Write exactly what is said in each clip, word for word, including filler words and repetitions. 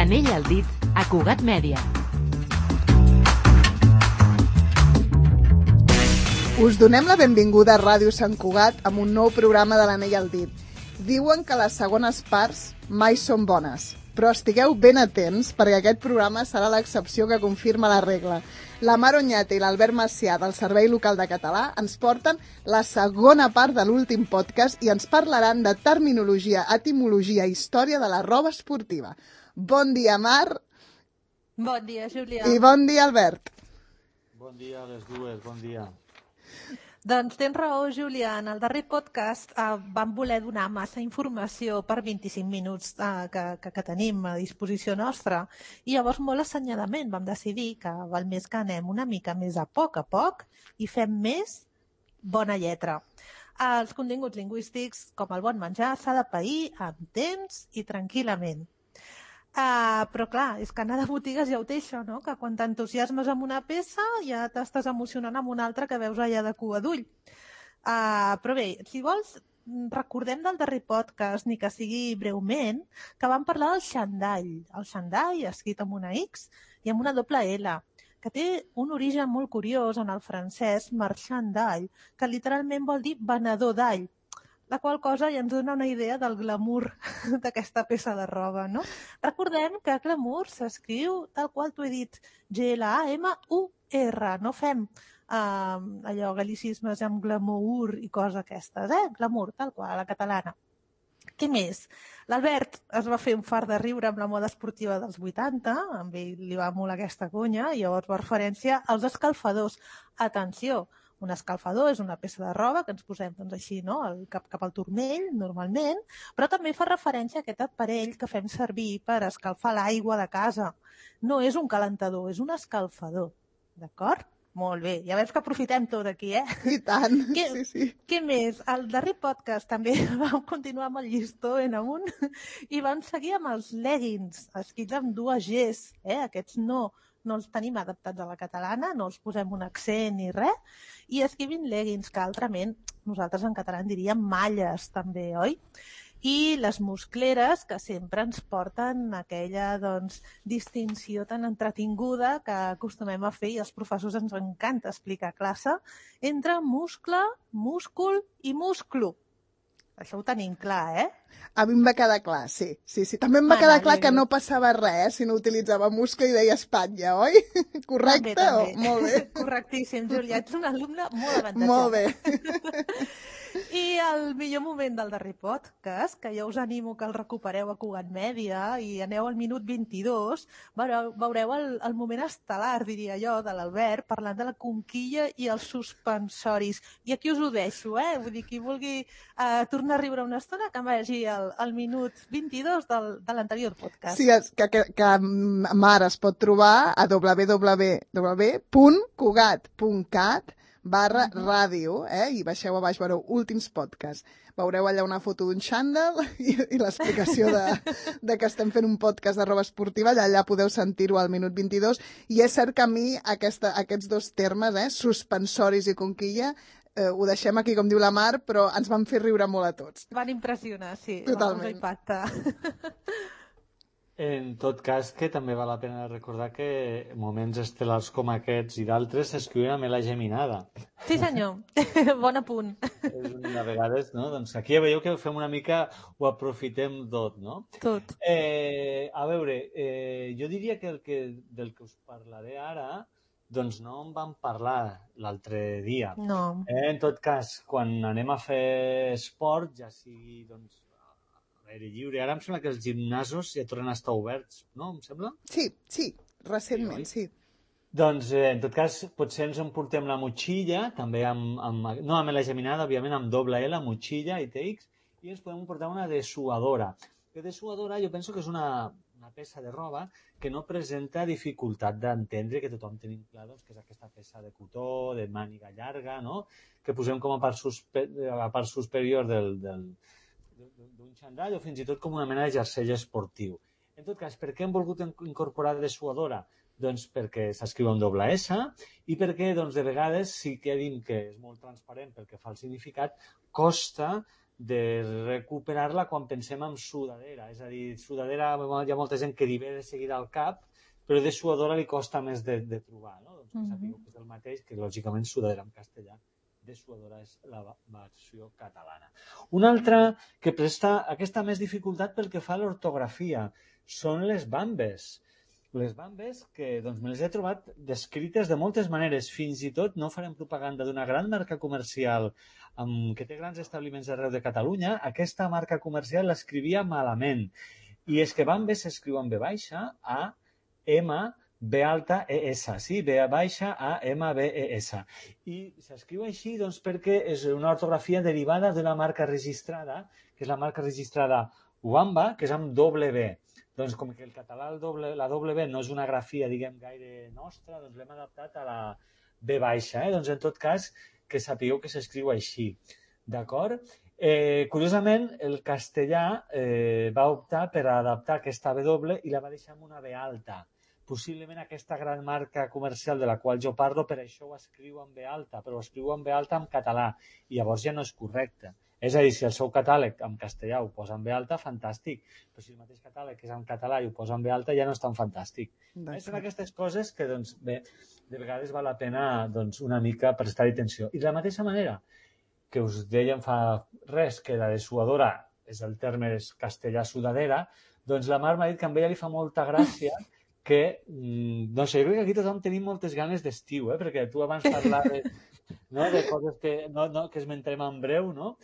L'anell al dit, a Cugat Mèdia. Us donem la benvinguda a Ràdio Sant Cugat amb un nou programa de l'anell al dit. Diuen que les segones parts mai són bones, però estigueu ben atents perquè aquest programa serà l'excepció que confirma la regla. La Mar Oñate i l'Albert Macià del Servei Local de Català ens porten la segona part de l'últim podcast i ens parlaran de terminologia, etimologia i història de la roba esportiva. Bon dia, Mar. Bon dia, Julià. I bon dia, Albert. Bon dia a les dues, bon dia. Doncs tens raó, Julià. En el darrer podcast eh, vam voler donar massa informació per vint-i-cinc minuts eh, que, que, que tenim a disposició nostra i llavors molt assenyalament vam decidir que val més que anem una mica més a poc a poc i fem més bona lletra. Els continguts lingüístics, com el bon menjar, s'ha de pair amb temps i tranquil·lament. Uh, però clar, és que anar de botigues ja ho té això, no? Que quan t'entusiasmes amb una peça ja t'estàs emocionant amb una altra que veus allà de cua d'ull. Uh, però bé, si vols, recordem del darrer podcast, ni que sigui breument, que vam parlar del xandall. El xandall, escrit amb una X i amb una doble L, que té un origen molt curiós en el francès marchand d'all, que literalment vol dir venedor d'all. La qual cosa ja ens dona una idea del glamour d'aquesta peça de roba, no? Recordem que glamour s'escriu tal qual t'ho he dit, G L A M U R. No fem eh, allò, gal·licismes amb glamour i coses aquestes, eh? Glamour, tal qual, a la catalana. Què més? L'Albert es va fer un fart de riure amb la moda esportiva dels vuitanta, amb ell li va molt aquesta conya, i llavors va referència als escalfadors. Atenció! Un escalfador és una peça de roba que ens posem doncs, així, no? El, cap, cap al turmell, normalment, però també fa referència a aquest aparell que fem servir per escalfar l'aigua de casa. No és un calentador, és un escalfador. D'acord? Molt bé. Ja veus que aprofitem tot aquí, eh? I tant, què, sí, sí. Què més? Al darrer podcast també vam continuar amb el llistó en amunt i vam seguir amb els leggings, escrits amb dues Gs, eh? Aquests no, no els tenim adaptats a la catalana, no els posem un accent ni res, i escrivim leggings, que altrament nosaltres en català en diríem malles també, oi? I les muscleres, que sempre ens porten aquella doncs, distinció tan entretinguda que acostumem a fer i als professors ens encanta explicar a classe, entre muscle, múscul i musclo. Això ho tenim clar, eh? A mi em va quedar clar, sí. sí, sí. També em va Mana, quedar clar alegre. que no passava res si no utilitzava muscle i deia Espanya, oi? Correcte? També, també. O... Molt bé. Correctíssim, Julià. Ets un alumne molt avantatjat. Molt bé. I el millor moment del darrer podcast, que jo us animo que el recupereu a Cugat Mèdia i aneu al minut vint-i-dos, veureu, veureu el, el moment estel·lar, diria jo, de l'Albert, parlant de la conquilla i els suspensoris. I aquí us ho deixo, eh? Vull dir, qui vulgui eh, tornar a riure una estona, que vagi al, al minut vint-i-dos del, de l'anterior podcast. Sí, és que, que, que Mar es pot trobar a w w w punt cugat punt cat barra ràdio, eh? I baixeu a baix, veureu últims podcasts. Veureu allà una foto d'un xandall i, i l'explicació de, de que estem fent un podcast de roba esportiva, allà, allà podeu sentir-ho al minut vint-i-dos, i és cert que a mi aquesta, aquests dos termes, eh? Suspensoris i conquilla, eh, ho deixem aquí, com diu la Mar, però ens van fer riure molt a tots. Van impressionar, sí. Totalment. Va impactar. En tot cas, que també val la pena recordar que moments estel·lars com aquests i d'altres s'escriuen amb la geminada. Sí, senyor. Bon apunt. És una vegades, no? Doncs aquí ja veieu que fem una mica, ho aprofitem tot, no? Tot. Eh, a veure, eh, jo diria que, el que del que us parlaré ara, doncs no en vam parlar l'altre dia. No. Eh, en tot cas, quan anem a fer esport, ja sigui, doncs, l'aire lliure. Ara em sembla que els gimnasos ja tornen a estar oberts, no? Em sembla? Sí, sí, recentment, sí. Doncs, eh, en tot cas, potser ens emportem la motxilla, també amb, amb no amb la geminada, òbviament, amb doble L, motxilla i T X, i ens podem portar una dessuadora. Que dessuadora jo penso que és una, una peça de roba que no presenta dificultat d'entendre, que tothom tenim clar doncs, que és aquesta peça de cotó, de màniga llarga, no? Que posem com a part, suspe a part superior del, del, d'un xandall o fins i tot com una mena de jersei esportiu. En tot cas, per què hem volgut incorporar dessuadora? Doncs perquè s'escriu amb doble S i perquè doncs, de vegades sí que diem que és molt transparent pel que fa al significat, costa de recuperar-la quan pensem en sudadera. És a dir, sudadera, hi ha molta gent que li ve de seguida al cap, però de suadora li costa més de, de trobar, no? Doncs que sapigueu que és el mateix, que lògicament sudadera en castellà. De suadora és la versió catalana. Una altra que presta aquesta més dificultat pel que fa a l'ortografia són les bambes. Les bambes que doncs, me les he trobat descrites de moltes maneres. Fins i tot no farem propaganda d'una gran marca comercial amb, que té grans establiments arreu de Catalunya. Aquesta marca comercial l'escrivia malament. I és que bambes s'escriu amb B baixa, A, M, B alta, E, S, sí, B baixa, A, M, B, E, S. I s'escriu així doncs, perquè és una ortografia derivada d'una marca registrada, que és la marca registrada Wamba, que és amb doble B. Doncs com que el català, el doble, la doble B no és una grafia, diguem, gaire nostra, doncs l'hem adaptat a la B baixa. Eh? Doncs en tot cas, que sapigueu que s'escriu així. D'acord? Eh, curiosament, el castellà eh, va optar per adaptar aquesta B doble i la va deixar amb una B alta. Possiblement aquesta gran marca comercial de la qual jo parlo, per això ho escriu en B alta, però ho escriu en B alta en català, i llavors ja no és correcte. És a dir, si el seu catàleg en castellà ho posa en B alta, fantàstic, però si el mateix catàleg és en català i ho posa en B alta, ja no és tan fantàstic. Eh, són aquestes coses que, doncs, bé, de vegades val la pena doncs, una mica prestar-hi atenció. I de la mateixa manera que us dèiem fa res, que la dessuadora és el terme castellà sudadera, doncs la Mar m'ha dit que a ella li fa molta gràcia que, no sé, jo crec que aquí tothom tenim moltes ganes d'estiu, eh? Perquè tu abans parlaves no? de coses que, no, no, que esmentem en breu, no?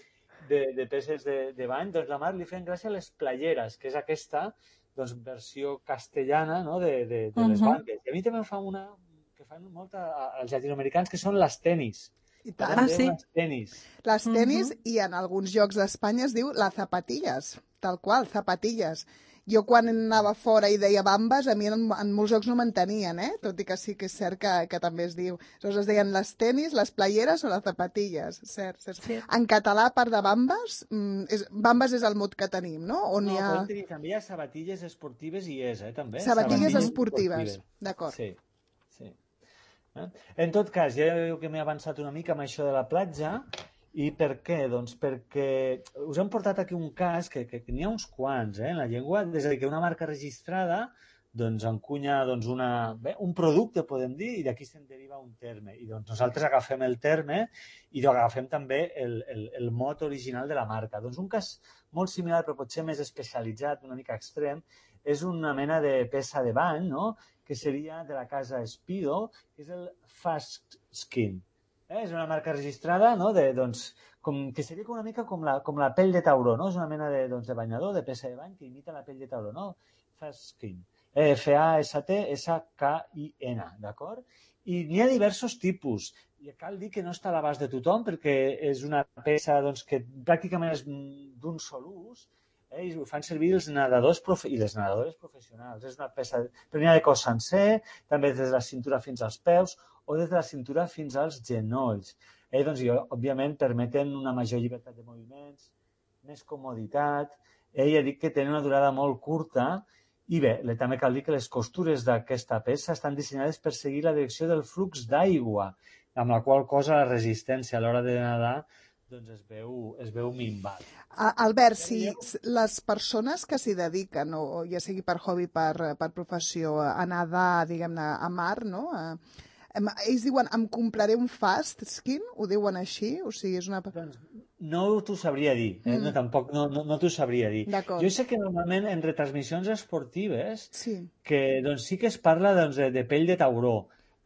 de, de peces de, de bany, doncs la Mar li feien gràcia a les playeres, que és aquesta doncs, versió castellana no? de, de, de les banques. I a mi també em fa una que fan molt als llatinoamericans, que són les tenis. I tant. Ah, sí. Les tenis. Les tenis, uh -huh. I en alguns llocs d'Espanya es diu la zapatillas, tal qual, zapatillas. Jo quan anava fora i deia bambes, a mi en, en molts jocs no m'entenien, eh? Tot i que sí que és cert que, que també es diu. Aleshores es deien les tenis, les playeres o les zapatilles, cert, cert. Sí. En català, a part de bambes, és, bambes és el mot que tenim, no? On no, hi ha... tenir, també hi ha sabatilles esportives i és, eh, també. Sabatilles, sabatilles esportives, esportives. D'acord. Sí, sí. Eh? En tot cas, ja veieu que m'he avançat una mica amb això de la platja. I per què? Doncs perquè us hem portat aquí un cas que, que, que n'hi ha uns quants eh, en la llengua, és a dir, que una marca registrada doncs, encunya doncs, una, bé, un producte, podem dir, i d'aquí se'n deriva un terme. I doncs, nosaltres agafem el terme i agafem també el, el, el mot original de la marca. Doncs un cas molt similar, però potser més especialitzat, una mica extrem, és una mena de peça de bany, no? Que seria de la casa Speedo, que és el Fast Skin. Eh, és una marca registrada, no? de, doncs, com, que seria una mica com la, com la pell de tauró, no? És una mena de, doncs, de banyador, de peça de bany que imita la pell de tauró, no? Fast Skin. F A S T S K I N, d'acord? I n'hi ha diversos tipus. I cal dir que no està a l'abast de tothom perquè és una peça doncs, que pràcticament és d'un sol ús, eh? I ho fan servir els nedadors profe i les nedadores professionals. És una peça, però n'hi ha de cos sencer, també des de la cintura fins als peus, o des de la cintura fins als genolls. Eh, doncs, i, òbviament, permeten una major llibertat de moviments, més comoditat. Eh, ja dic que tenen una durada molt curta i bé, també cal dir que les costures d'aquesta peça estan dissenyades per seguir la direcció del flux d'aigua, amb la qual cosa la resistència a l'hora de nedar doncs es veu, es veu minvat. Albert, si les persones que s'hi dediquen, o ja sigui per hobby, per, per professió, a nedar, diguem-ne, a mar, no?, a, ells diuen, em compraré un Fast Skin? Ho diuen així? O sigui, és una... Doncs no t'ho sabria dir, eh? mm. no, tampoc no, no, no t'ho sabria dir. Jo sé que normalment en retransmissions esportives sí, que doncs, sí que es parla doncs, de, de pell de tauró.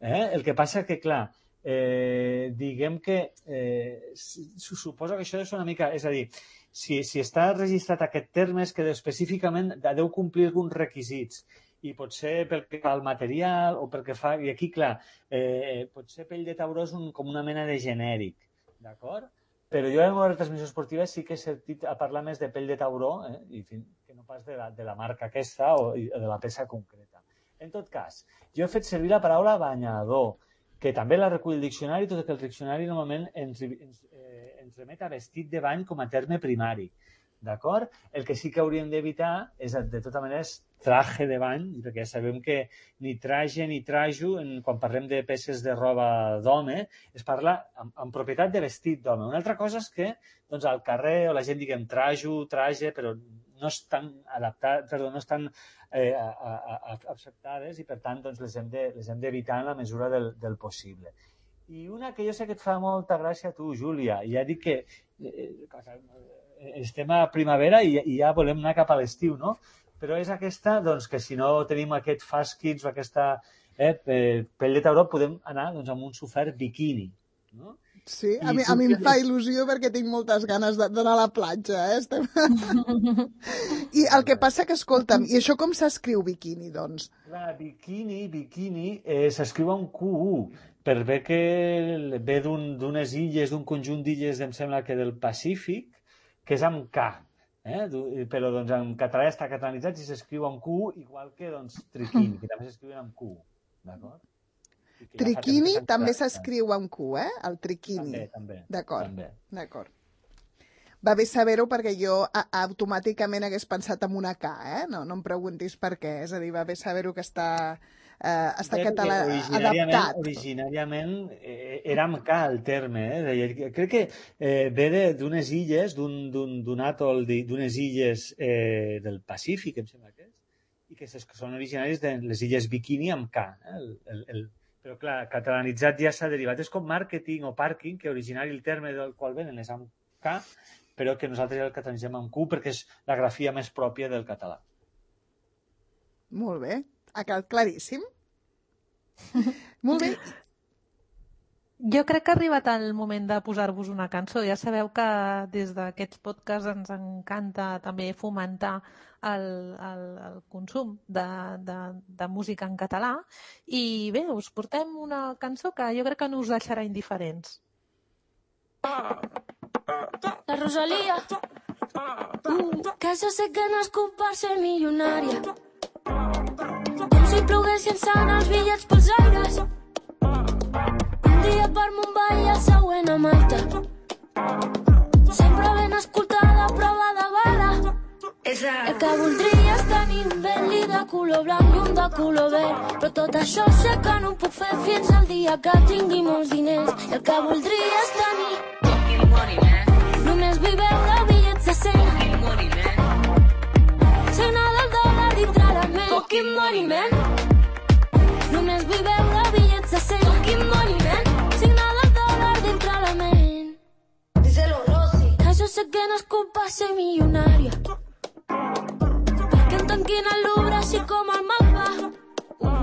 Eh? El que passa que, clar, eh, diguem que eh, suposo que això és una mica... És a dir, si, si està registrat aquest terme és que específicament deu complir alguns requisits. I potser pel que fa al material o pel que fa... I aquí, clar, eh, potser pell de tauró és un, com una mena de genèric, d'acord? Però jo en una retransmissió esportiva sí que he sentit a parlar més de pell de tauró, eh? I fin, que no pas de la, de la marca aquesta o de la peça concreta. En tot cas, jo he fet servir la paraula banyador, que també la recull el diccionari, tot i que el diccionari normalment ens, ens, eh, ens remet a vestit de bany com a terme primari. D'acord? El que sí que hauríem d'evitar és, de tota manera, traje de bany, perquè ja sabem que ni traje ni trajo, en, quan parlem de peces de roba d'home, es parla amb, amb propietat de vestit d'home. Una altra cosa és que doncs, al carrer o la gent diguem trajo, traje, però no estan adaptats, perdó, no estan eh, a, a, a, acceptades i per tant doncs, les hem de, les hem d'evitar en la mesura del, del possible. I una que jo sé que et fa molta gràcia a tu, Júlia, ja dic que eh, estem a primavera i, i ja volem anar cap a l'estiu, no? Però és aquesta, doncs, que si no tenim aquest fast kids o aquesta eh, pell de tauró, podem anar doncs, amb un sofert biquini, no? Sí, a mi, a mi em fa il·lusió perquè tinc moltes ganes d'anar a la platja, eh? Estem... I el que passa que, escolta'm, i això com s'escriu biquini, doncs? Clar, biquini, biquini, eh, s'escriu amb Q U, per bé que ve d'unes illes, d'un conjunt d'illes, em sembla que del Pacífic, que és amb K, eh? Però doncs, en català està catalanitzat i s'escriu amb Q U, igual que doncs, triquini, que també s'escriuen amb Q U, d'acord? Triquini també s'escriu amb Q, eh? El triquini. També, també. D'acord, d'acord. Va bé saber-ho perquè jo a, automàticament hagués pensat en una K, eh? No, no em preguntis per què, és a dir, va bé saber-ho que està, eh, està català adaptat. Originàriament eh, era amb K el terme, eh? Crec que eh, ve d'unes illes, d'un atol, d'unes illes eh, del Pacífic, em sembla que és, i que són originaris de les illes Bikini amb K, eh? el, el, el Però, clar, catalanitzat ja s'ha derivat. És com màrqueting o pàrquing, que originari el terme del qual venen és amb K, però que nosaltres ja el catalanitzem amb Q perquè és la grafia més pròpia del català. Molt bé. Ha quedat claríssim. Molt bé. Jo crec que ha arribat el moment de posar-vos una cançó. Ja sabeu que des d'aquests podcasts ens encanta també fomentar el, el, el consum de, de, de música en català. I bé, us portem una cançó que jo crec que no us deixarà indiferents. La Rosalía, uh, que jo sé que he nascut per ser milionària. Com si plogués llançant els bitllets pels aires. Un dia per Mumbai i el següent a Malta. Sempre ben escoltada, prova de bala. El que voldria és tenir un Bentley de color blanc i un de color verd. Però tot això sé que no ho puc fer fins al dia que tingui molts diners. I el que voldria és tenir fucking money, man. Només vull veure bitllets de cent. Fucking money, man. Signar del dòlar dintre la ment. Fucking money, man. Només vull veure bitllets de cent. Fucking money, man. Signar del dòlar dintre la ment. Díselo, Rosy. Que jo sé que no és culpa ser milionària. Perquè em tanquin el Louvre així com el mapa.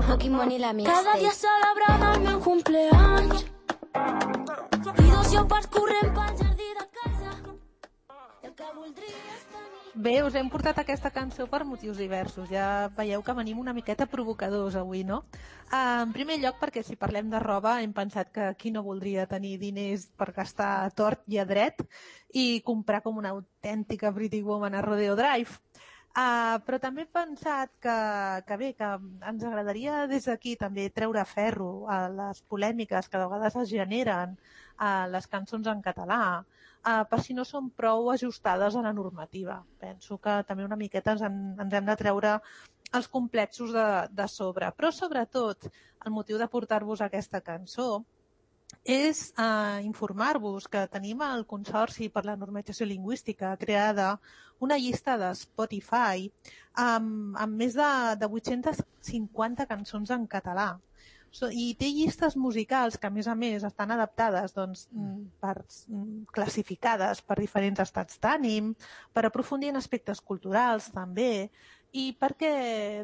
Fucking money la mixtape. Cada dia celebrant el meu cumpleaños. I dos lleopards corrent pel jardí de casa. El que voldria és tenir... Bé, us hem portat aquesta cançó per motius diversos. Ja veieu que venim una miqueta provocadors avui, no? Uh, en primer lloc, perquè si parlem de roba, hem pensat que qui no voldria tenir diners per gastar a tort i a dret i comprar com una autèntica Pretty Woman a Rodeo Drive. Uh, però també he pensat que, que bé, que ens agradaria des d'aquí també treure ferro a les polèmiques que de vegades es generen a les cançons en català, uh, per si no són prou ajustades a la normativa. Penso que també una miqueta ens, en, ens hem de treure els complexos de, de sobre. Però sobretot el motiu de portar-vos aquesta cançó és eh, informar-vos que tenim al Consorci per la Normalització Lingüística creada una llista de Spotify amb, amb més de, de vuit-centes cinquanta cançons en català. So, I té llistes musicals que, a més a més, estan adaptades, doncs, per, classificades per diferents estats d'ànim, per aprofundir en aspectes culturals, també, i perquè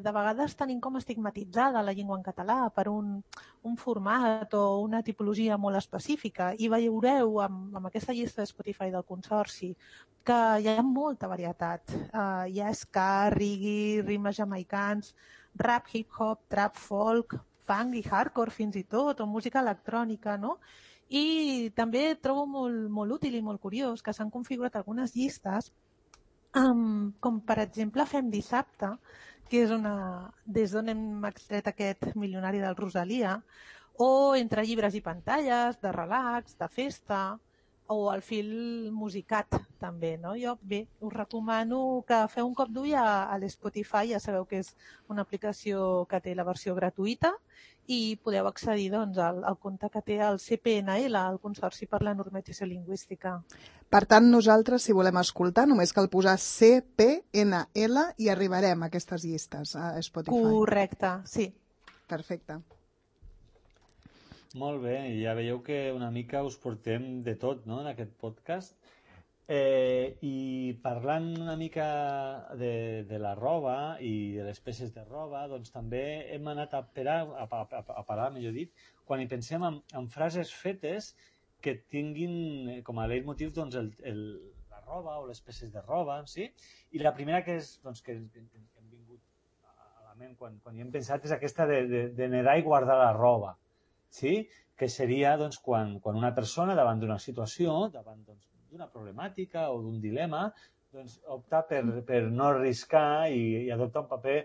de vegades tenim com estigmatitzada la llengua en català per un, un format o una tipologia molt específica. I veureu amb, amb aquesta llista de Spotify del Consorci que hi ha molta varietat. Uh, hi ha ska, reggae, ritmes jamaicans, rap, hip-hop, trap, folk, funk i hardcore fins i tot, o música electrònica, no? I també trobo molt, molt útil i molt curiós que s'han configurat algunes llistes Um, com per exemple Fem Dissabte, que és una, des d'on hem extret aquest milionari del Rosalia, o Entre llibres i pantalles, de relax, de festa, o el fil musicat, també, no? Jo, bé, us recomano que feu un cop d'ull a, a l'Spotify, ja sabeu que és una aplicació que té la versió gratuïta i podeu accedir doncs, al, al compte que té el C P N L, el Consorci per la Normalització Lingüística. Per tant, nosaltres, si volem escoltar, només cal posar C P N L i arribarem a aquestes llistes a Spotify. Correcte, sí. Perfecte. Molt bé, ja veieu que una mica us portem de tot, no?, en aquest podcast. Eh, I parlant una mica de, de la roba i de les peces de roba, doncs també hem anat a parar, a, a, a parar, millor dit, quan hi pensem en, en frases fetes que tinguin com a leitmotiv doncs, el, el, la roba o les peces de roba, sí? I la primera que, és, doncs, que, que, que hem vingut a la ment quan, quan hi hem pensat és aquesta de, de, de nedar i guardar la roba. Sí? Que seria doncs, quan, quan una persona davant d'una situació, davant doncs, d'una problemàtica o d'un dilema, doncs, opta per, per no arriscar i, i adoptar un paper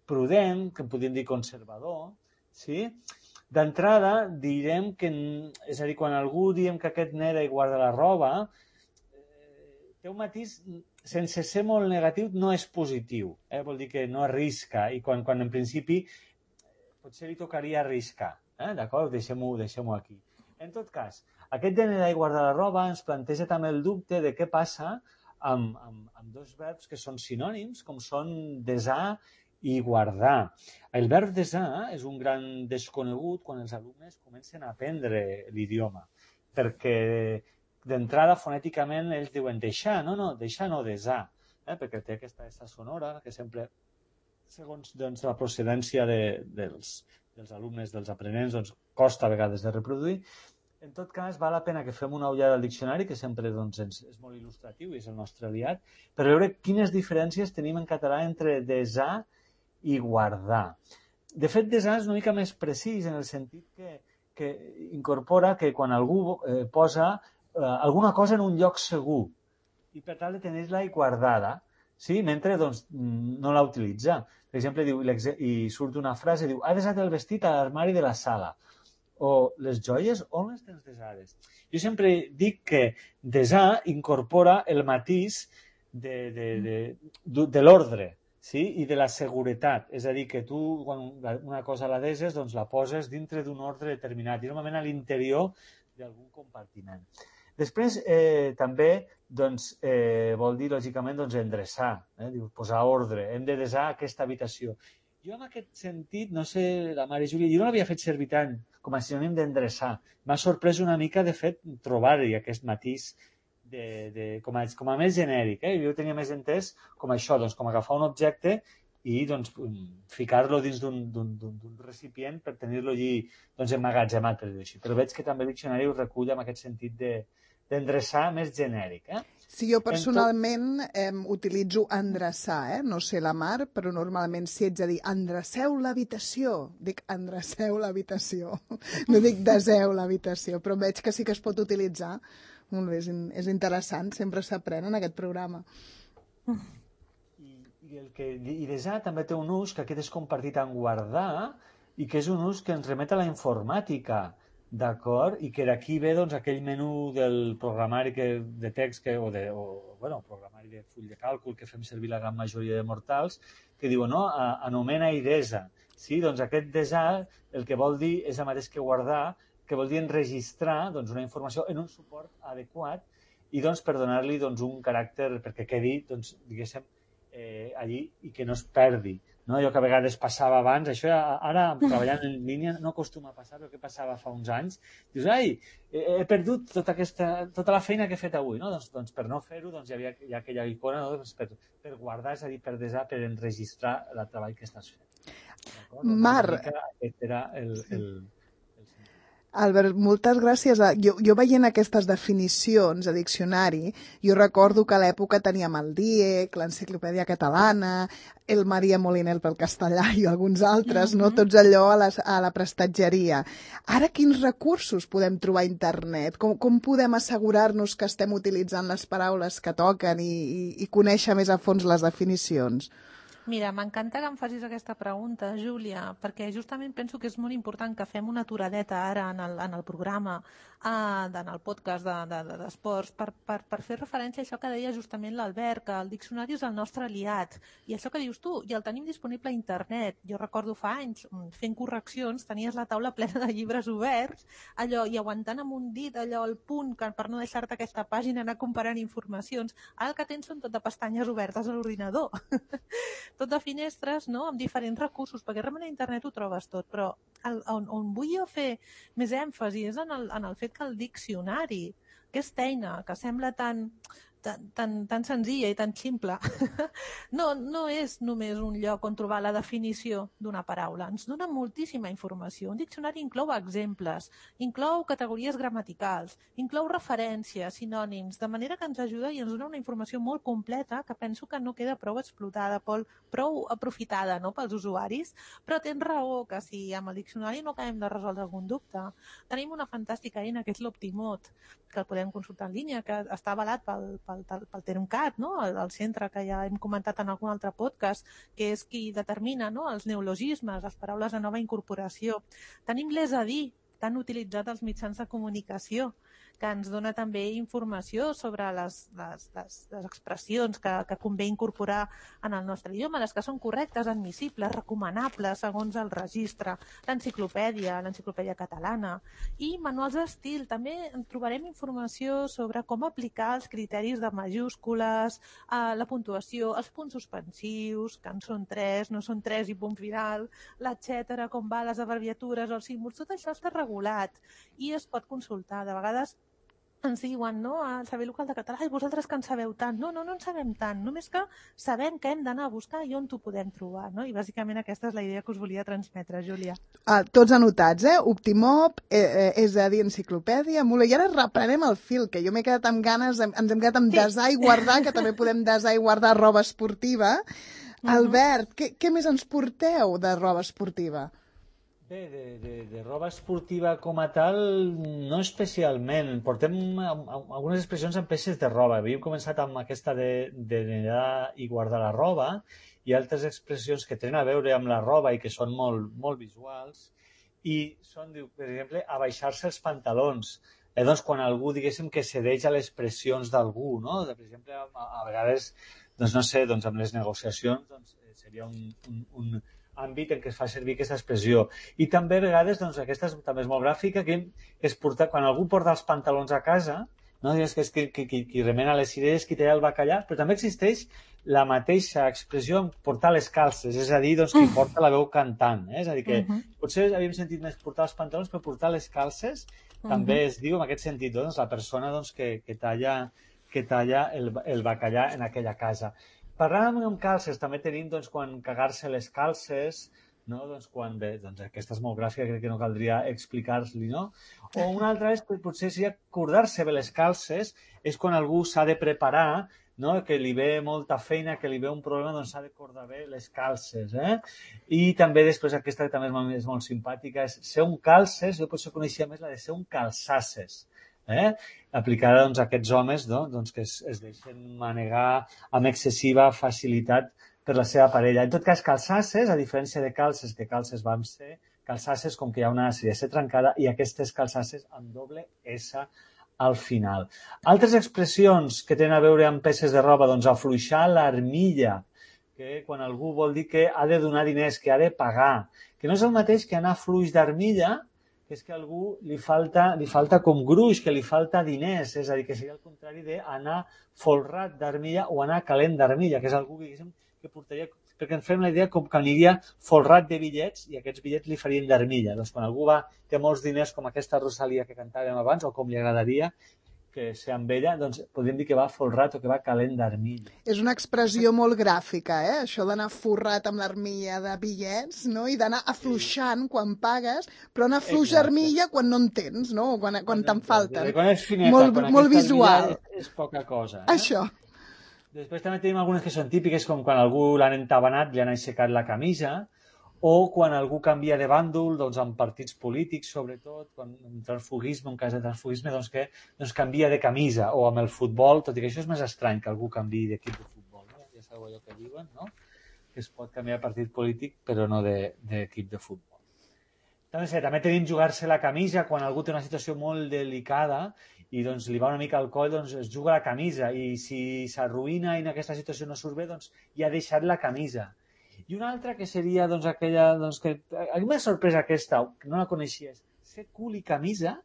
prudent, que en podríem dir conservador. Sí? D'entrada, direm que, és a dir, quan algú diem que aquest neda i guarda la roba, eh, té un matís, sense ser molt negatiu, no és positiu. Eh? Vol dir que no arrisca i quan, quan en principi potser li tocaria arriscar. Eh? D'acord? Deixem-ho deixem aquí. En tot cas, aquest de nedar i guardar la roba ens planteja també el dubte de què passa amb, amb, amb dos verbs que són sinònims, com són desar i guardar. El verb desar és un gran desconegut quan els alumnes comencen a aprendre l'idioma, perquè d'entrada fonèticament ells diuen deixar, no, no, deixar no desar, eh? Perquè té aquesta essa sonora que sempre, segons doncs, la procedència de, dels dels alumnes, dels aprenents, doncs costa a vegades de reproduir. En tot cas, val la pena que fem una ullada al diccionari, que sempre doncs, és molt il·lustratiu i és el nostre aliat, per veure quines diferències tenim en català entre desar i guardar. De fet, desar és una mica més precís en el sentit que, que incorpora que quan algú eh, posa eh, alguna cosa en un lloc segur i per tal de tenir-la guardada, sí? Mentre doncs, no la utilitza. Per exemple, diu, i surt una frase, diu, ha desat el vestit a l'armari de la sala. O les joies, on les tens desades? Jo sempre dic que desar incorpora el matís de, de, de, de, de l'ordre, sí? I de la seguretat. És a dir, que tu, quan una cosa la deses, doncs la poses dintre d'un ordre determinat i normalment a l'interior d'algun compartiment. Després, eh, també, doncs, eh, vol dir, lògicament, doncs, endreçar, eh? Diu, posar ordre, hem de desar aquesta habitació. Jo, en aquest sentit, no sé, la Mare Júlia, jo no l'havia fet servir tant com a sinònim d'endreçar. M'ha sorprès una mica, de fet, trobar-hi aquest matís de, de, com, a, com a més genèric. Eh? Jo tenia més entès com això, doncs, com agafar un objecte i doncs, ficar-lo dins d'un recipient per tenir-lo allí doncs, emmagatzemat, per dir-ho així. Però veig que també el diccionari ho recull amb aquest sentit de d'endreçar més genèric. Eh? Sí, jo personalment eh, utilitzo endreçar, eh? No sé la Mar, però normalment si ets a dir endreceu l'habitació, dic endreceu l'habitació, no dic deseu l'habitació, però veig que sí que es pot utilitzar. Molt bé, és, és interessant, sempre s'aprèn en aquest programa. I, i, el que, i desar també té un ús que aquest és compartit en guardar i que és un ús que ens remet a la informàtica. D'acord? I que d'aquí ve doncs, aquell menú del programari que, de text que, o, de, o bueno, programari de full de càlcul que fem servir la gran majoria de mortals, que diu, no, a, anomena i desa. Sí? Doncs aquest desar el que vol dir és el mateix que guardar, que vol dir enregistrar doncs, una informació en un suport adequat i doncs, per donar-li doncs, un caràcter, perquè quedi doncs, diguéssim, eh, allí i que no es perdi. No? Allò que a vegades passava abans, això ara treballant en línia no acostuma a passar, però que passava fa uns anys, dius, ai, he, he perdut tota, aquesta, tota la feina que he fet avui, no? doncs, doncs per no fer-ho doncs, hi havia hi ha aquella icona, no? doncs, per, per guardar, és a dir, per desar, per enregistrar el treball que estàs fent. Mar, aquest era el, el, Albert, moltes gràcies. A... Jo, jo veient aquestes definicions a diccionari, jo recordo que a l'època teníem el D I E C, l'Enciclopèdia Catalana, el Maria Molinel pel castellà i alguns altres, no? Tots allò a, les, a la prestatgeria. Ara, quins recursos podem trobar a internet? Com, com podem assegurar-nos que estem utilitzant les paraules que toquen i, i, i conèixer més a fons les definicions? Mira, m'encanta que em facis aquesta pregunta, Júlia, perquè justament penso que és molt important que fem una aturadeta ara en el, en el programa, eh, en el podcast d'esports, de, de, per, per, per fer referència a això que deia justament l'Albert, que el diccionari és el nostre aliat. I això que dius tu, i el tenim disponible a internet. Jo recordo fa anys, fent correccions, tenies la taula plena de llibres oberts, allò, i aguantant amb un dit allò al punt que, per no deixar-te aquesta pàgina anar comparant informacions. Ara el que tens són tot de pestanyes obertes a l'ordinador. Tot de finestres, no?, amb diferents recursos, perquè realment a internet ho trobes tot, però el, on, on vull jo fer més èmfasi és en el, en el fet que el diccionari, aquesta eina que sembla tan, tan, tan, tan senzilla i tan simple, no, no és només un lloc on trobar la definició d'una paraula, ens dona moltíssima informació. Un diccionari inclou exemples, inclou categories gramaticals, inclou referències, sinònims, de manera que ens ajuda i ens dona una informació molt completa que penso que no queda prou explotada, prou aprofitada, no?, pels usuaris, però tens raó que si amb el diccionari no acabem de resoldre algun dubte. Tenim una fantàstica eina que és l'Optimot, que el podem consultar en línia, que està avalat pel, pel, pel Termcat, no?, el, el centre que ja hem comentat en algun altre podcast, que és qui determina, no?, els neologismes, les paraules de nova incorporació. Tenim l'És a dir, tan utilitzat als mitjans de comunicació, que ens dona també informació sobre les, les, les, les expressions que, que convé incorporar en el nostre idioma, les que són correctes, admissibles, recomanables, segons el registre, l'enciclopèdia, l'enciclopèdia catalana, i manuals d'estil. També trobarem informació sobre com aplicar els criteris de majúscules, eh, la puntuació, els punts suspensius, que en són tres, no són tres i punt final, l'etcètera, com va les abreviatures o els símbols, tot això està regulat i es pot consultar. De vegades ens diuen, no?, al Servei Local de Català, i vosaltres que en sabeu tant. No, no, no en sabem tant, només que sabem que hem d'anar a buscar i on t'ho podem trobar, no? I bàsicament aquesta és la idea que us volia transmetre, Júlia. Ah, tots anotats, eh? Optimop, eh, eh, és a dir, enciclopèdia, mula. I ara reprenem el fil, que jo m'he quedat amb ganes, ens hem quedat amb sí. desar i guardar, que també podem desar i guardar roba esportiva. Uh-huh. Albert, què, què més ens porteu de roba esportiva? Bé, de, de, de roba esportiva com a tal, no especialment. Portem algunes expressions en peces de roba. Havíem començat amb aquesta de, de negar i guardar la roba i altres expressions que tenen a veure amb la roba i que són molt, molt visuals. I són, per exemple, abaixar-se els pantalons. Eh, doncs, quan algú, diguéssim, que cedeix a les pressions d'algú, no? Per exemple, a, a vegades, doncs no sé, doncs amb les negociacions doncs, seria un... un, un àmbit en què es fa servir aquesta expressió. I també a vegades, doncs, aquesta és, també és molt gràfica, que es porta, quan algú porta els pantalons a casa, no digues que és qui, qui, qui remena les cireres, qui té el bacallà, però també existeix la mateixa expressió en portar les calces, és a dir, doncs, qui porta la veu cantant. Eh? És a dir, que uh-huh. potser havíem sentit més portar els pantalons, però portar les calces uh-huh. també es diu en aquest sentit, doncs, la persona doncs, que, que talla, que talla el, el bacallà en aquella casa. Parlant amb calces, també tenim doncs, quan cagar-se les calces, no? Doncs, quan, bé, doncs, aquesta és molt gràfica, crec que no caldria explicar-li, no? O una altra és, potser, si acordar-se bé les calces, és quan algú s'ha de preparar, no? Que li ve molta feina, que li ve un problema, doncs s'ha de cordar bé les calces, eh? I també després, aquesta que també és molt, és molt simpàtica, és ser un calces, jo potser coneixia més la de ser un calçasses, eh? Aplicada doncs, a aquests homes, no? Doncs, que es, es deixen manegar amb excessiva facilitat per la seva parella. En tot cas, calçasses, a diferència de calces, que calces vam ser, calçasses com que hi ha una C S trencada i aquestes calçasses amb doble S al final. Altres expressions que tenen a veure amb peces de roba, doncs afluixar l'armilla, que quan algú vol dir que ha de donar diners, que ha de pagar, que no és el mateix que anar fluix d'armilla, que és que a algú li falta, li falta com gruix, que li falta diners, és a dir, que seria el contrari d'anar folrat d'armilla o anar calent d'armilla, que és algú que, que portaria, perquè ens fem la idea com que aniria folrat de bitllets i aquests bitllets li farien d'armilla. Doncs quan algú va, té molts diners com aquesta Rosalia que cantàvem abans, o com li agradaria que ser amb ella, doncs podríem dir que va folrat o que va calent d'armilla. És una expressió molt gràfica, eh? Això d'anar forrat amb l'armilla de bitllets, no? I d'anar afluixant sí. quan pagues, però anar fluix armilla quan no en tens, no? Quan, quan, quan te'n falten. Quan és fineta, molt, quan molt visual. És, és poca cosa. Eh? Això. Després també tenim algunes que són típiques, com quan algú l'han entabanat, li han aixecat la camisa, o quan algú canvia de bàndol, doncs en partits polítics, sobretot, quan en transfugisme, en cas de transfugisme, doncs que doncs canvia de camisa, o amb el futbol, tot i que això és més estrany que algú canviï d'equip de futbol, no? Ja sabeu allò que diuen, no? que es pot canviar de partit polític, però no d'equip de, de futbol. També, sé, també tenim jugar-se la camisa quan algú té una situació molt delicada i doncs, li va una mica al coll, doncs es juga la camisa i si s'arruïna i en aquesta situació no surt bé, doncs ja ha deixat la camisa. I una altra que seria doncs, aquella... Doncs, que, a mi m'ha sorprès aquesta, que no la coneixies, ser cul i camisa,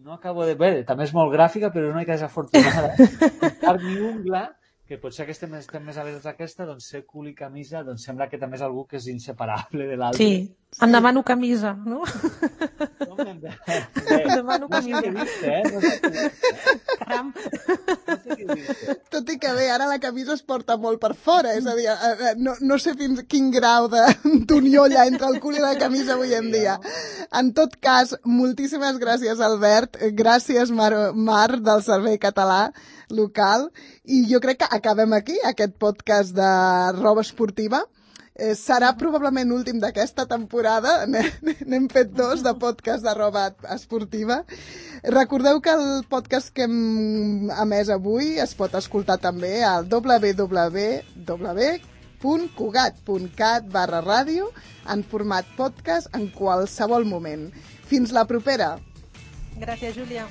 no acabo de... Bé, també és molt gràfica, però és una mica desafortunada. Carn i ungla, que potser que estem, estem més alertes d'aquesta, doncs ser cul i camisa, doncs sembla que també és algú que és inseparable de l'altre. Sí, em demano camisa, no? No em demano camisa. No sé què eh? No sé què dius, Caram. No sé què dius. Tot i que bé, ara la camisa es porta molt per fora, és a dir, no, no sé fins quin grau d'unió hi ha entre el cul i la camisa avui en dia. En tot cas, moltíssimes gràcies, Albert, gràcies, Mar, Mar del Servei Català Local, i jo crec que acabem aquí, aquest podcast de roba esportiva. Eh, serà probablement l'últim d'aquesta temporada. N'hem fet dos de podcast de roba esportiva. Recordeu que el podcast que hem emès avui es pot escoltar també al w w w punt cugat punt cat barra ràdio en format podcast en qualsevol moment. Fins la propera! Gràcies, Júlia.